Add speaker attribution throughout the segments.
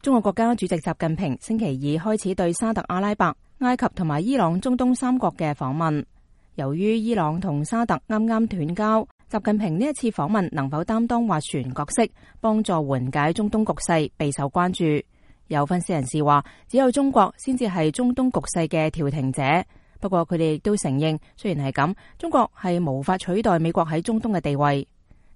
Speaker 1: 中國國家主席習近平星期二開始對沙特阿拉伯、埃及同埋伊朗中東三國嘅訪問。由於伊朗同沙特啱啱斷交，習近平呢一次訪問能否擔當斡旋角色，幫助緩解中東局勢，備受關注。有分析人士話，只有中國先至係中東局勢嘅調停者。不過佢哋亦都承認，雖然係咁，中國係無法取代美國喺中東嘅地位。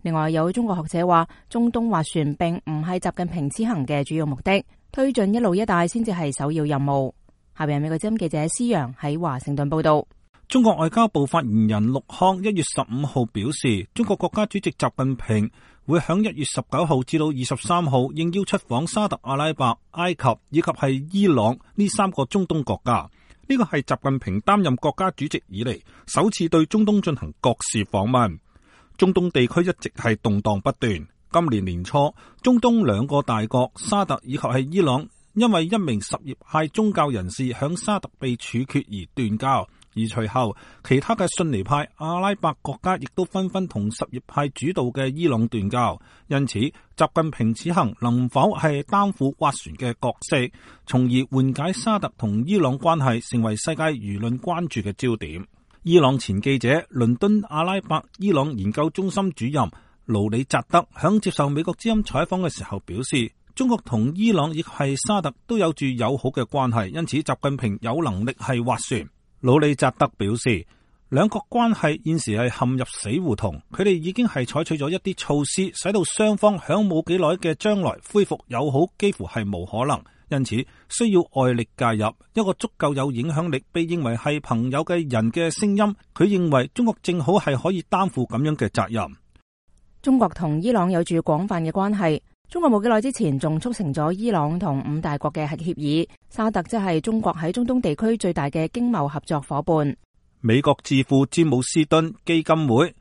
Speaker 1: 另外有中國學者話，中東斡旋並唔係習近平此行嘅主要目的，推進一路一帶先至係首要任務。下邊美國之音記者施洋喺華盛頓報道。
Speaker 2: 中國外交部發言人陸康1月15號表示，中國國家主席習近平會響1月19號至到23號應邀出訪沙特阿拉伯、埃及以及係伊朗呢3個中東國家。呢個係習近平擔任國家主席以嚟首次對中東進行國事訪問。中東地區一直係動盪不斷。今年年初，中東2個大國沙特以及係伊朗，因為一名什葉派宗教人士響沙特被處決而斷交，而隨後其他嘅遜尼派阿拉伯國家亦都紛紛同什葉派主導嘅伊朗斷交。因此，習近平此行能否係擔負斡旋嘅角色，從而緩解沙特同伊朗關係，成為世界輿論關注嘅焦點。伊朗前記者、倫敦阿拉伯伊朗研究中心主任盧里扎德響接受美國之音採訪嘅時候表示，中國同伊朗亦係沙特都有住友好嘅關係，因此習近平有能力係斡旋。盧里扎德表示，兩國關係現時係陷入死胡同，佢哋已經係採取咗一啲措施，使到雙方響冇幾耐嘅將來恢復友好幾乎係無可能。因此需要外力介入，一個足夠有影響力被認為係朋友嘅人嘅聲音。佢認為中國正好係可以擔負咁樣嘅責任。
Speaker 1: 中國同伊朗有住廣泛嘅關係，中國冇幾耐之前仲促成咗伊朗同5大國嘅核協議。沙特即係中國喺中東地區最大嘅經貿合作夥伴。
Speaker 2: 美國智庫詹姆斯敦基金會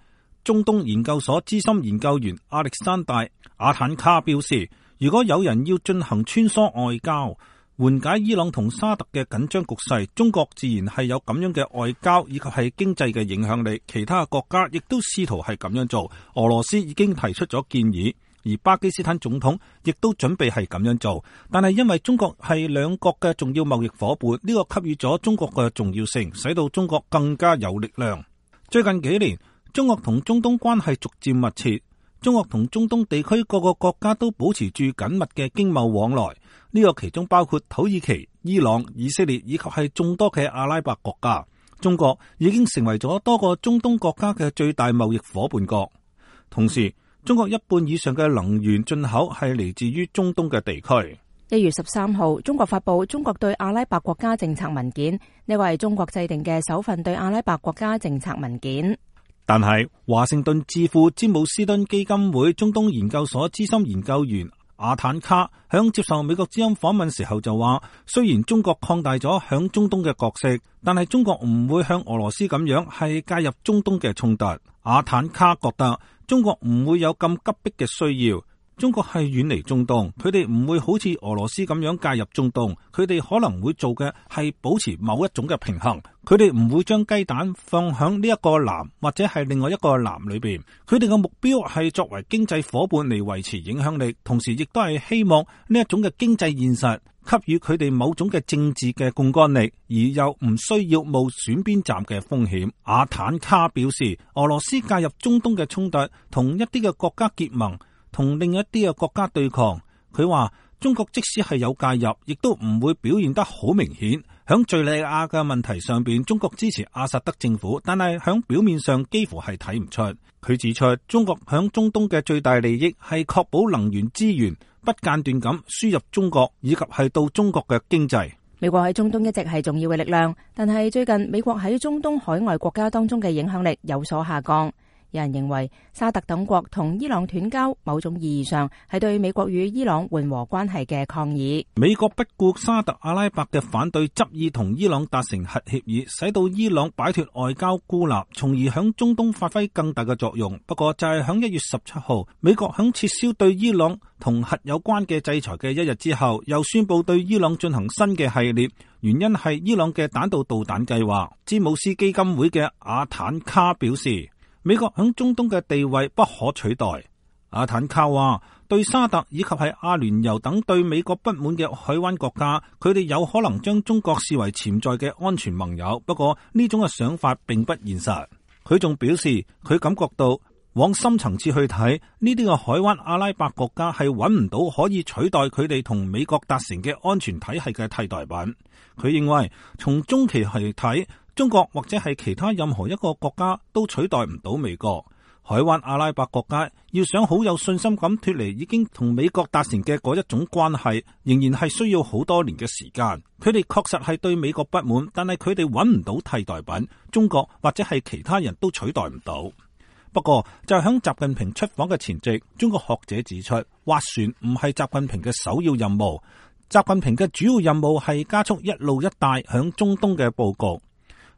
Speaker 2: 中東研究所資深研究員亞歷山大·阿坦卡表示，如果有人要進行穿梭外交，緩解伊朗同沙特嘅緊張局勢，中國自然係有咁樣嘅外交以及係經濟嘅影響力。其他國家亦都試圖係咁樣做。俄羅斯已經提出咗建議，而巴基斯坦總統亦都準備係咁樣做。但係因為中國係兩國嘅重要貿易夥伴，呢個給予咗中國嘅重要性，使到中國更加有力量。最近幾年，中國同中東關係逐漸密切。中國同中東地區各個國家都保持住緊密嘅經貿往來，呢個其中包括土耳其、伊朗、以色列以及係眾多嘅阿拉伯國家。中國已經成為咗多個中東國家嘅最大貿易夥伴國。同時，中國1半以上嘅能源進口係嚟自於中東嘅地區。
Speaker 1: 1月13號，中國發布中國對阿拉伯國家政策文件，呢個係中國制定嘅首份對阿拉伯國家政策文件。
Speaker 2: 但係華盛頓智庫詹姆斯敦基金會中東研究所資深研究員阿坦卡響接受美國之音訪問時候就話，雖然中國擴大咗響中東嘅角色，但係中國唔會向俄羅斯咁樣係介入中東嘅衝突。阿坦卡覺得中國唔會有咁急迫嘅需要。中國係遠離中東，佢哋唔會好似俄羅斯咁樣介入中東，佢哋可能會做嘅係保持某一種嘅平衡。佢哋唔會將雞蛋放響呢一個籃或者係另外一個籃裏邊。佢哋嘅目標係作為經濟夥伴嚟維持影響力，同時亦都係希望呢一種嘅經濟現實給予佢哋某種嘅政治嘅槓桿力，而又唔需要冒選邊站嘅風險。阿坦卡表示，俄羅斯介入中東嘅衝突同一啲嘅國家結盟，同另一啲嘅國家對抗。佢話中國即使係有介入，亦都唔會表現得好明顯。響敘利亞嘅問題上邊，中國支持阿薩德政府，但係響表面上幾乎係睇唔出。佢指出，中國響中東嘅最大利益係確保能源資源不間斷咁輸入中國，以及係到中國嘅經濟。
Speaker 1: 美國喺中東一直係重要嘅力量，但係最近美國喺中東海外國家當中嘅影響力有所下降。有人認為沙特等國同伊朗斷交，某種意義上係對美國與伊朗緩和關係嘅抗議。
Speaker 2: 美國不顧沙特阿拉伯嘅反對，執意同伊朗達成核協議，使到伊朗擺脫外交孤立，從而響中東發揮更大嘅作用。不過就係響1月17號，美國響撤銷對伊朗同核有關嘅制裁嘅1日之後，又宣布對伊朗進行新嘅系列，原因係伊朗嘅彈道導彈計劃。詹姆斯基金會嘅阿坦卡表示，美國響中東嘅地位不可取代。阿坦卡話，對沙特以及係阿聯酋等對美國不滿嘅海灣國家，佢哋有可能將中國視為潛在嘅安全盟友。不過呢種嘅想法並不現實。佢仲表示，佢感覺到往深層次去睇，呢啲嘅海灣阿拉伯國家係揾唔到可以取代佢哋同美國達成嘅安全體系嘅替代品。佢認為從中期去睇，中國或者係其他任何一個國家都取代唔到美國。海灣阿拉伯國家要想好有信心咁脫離已經同美國達成嘅嗰一種關係，仍然係需要好多年嘅時間。佢哋確實係對美國不滿，但係佢哋揾唔到替代品，中國或者係其他人都取代唔到。不過就喺習近平出訪嘅前夕，中國學者指出，斡旋唔係習近平嘅首要任務。習近平嘅主要任務係加速一路一帶響中東嘅佈局。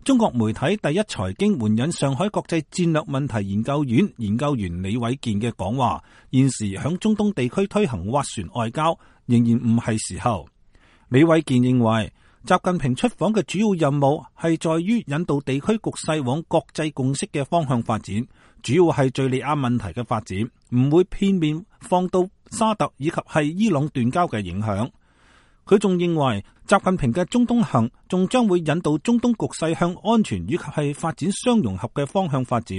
Speaker 2: 中國媒體第一財經援引上海國際戰略問題研究院研究員李偉健嘅講話，現時響中東地區推行斡旋外交仍然唔係時候。李偉健認為，習近平出訪嘅主要任務係在於引導地區局勢往國際共識嘅方向發展，主要係敘利亞問題嘅發展，唔會片面放到沙特以及係伊朗斷交嘅影響。佢仲認為，習近平嘅中東行仲將會引導中東局勢向安全以及係發展相融合嘅方向發展。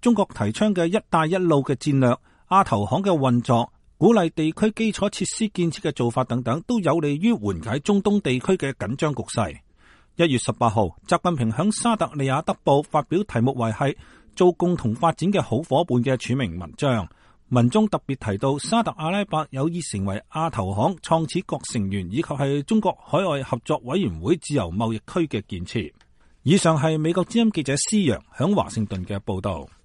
Speaker 2: 中國提倡嘅一帶一路嘅戰略、亞投行嘅運作、鼓勵地區基礎設施建設嘅做法等等，都有利於緩解中東地區嘅緊張局勢。1月18號，習近平響沙特利雅德報發表題目為係做共同發展嘅好夥伴嘅署名文章。文中特別提到，沙特阿拉伯有意成為亞投行創始國成員，以及係中國海外合作委員會自由貿易區嘅建設。以上係美國之音記者施洋響華盛頓嘅報道。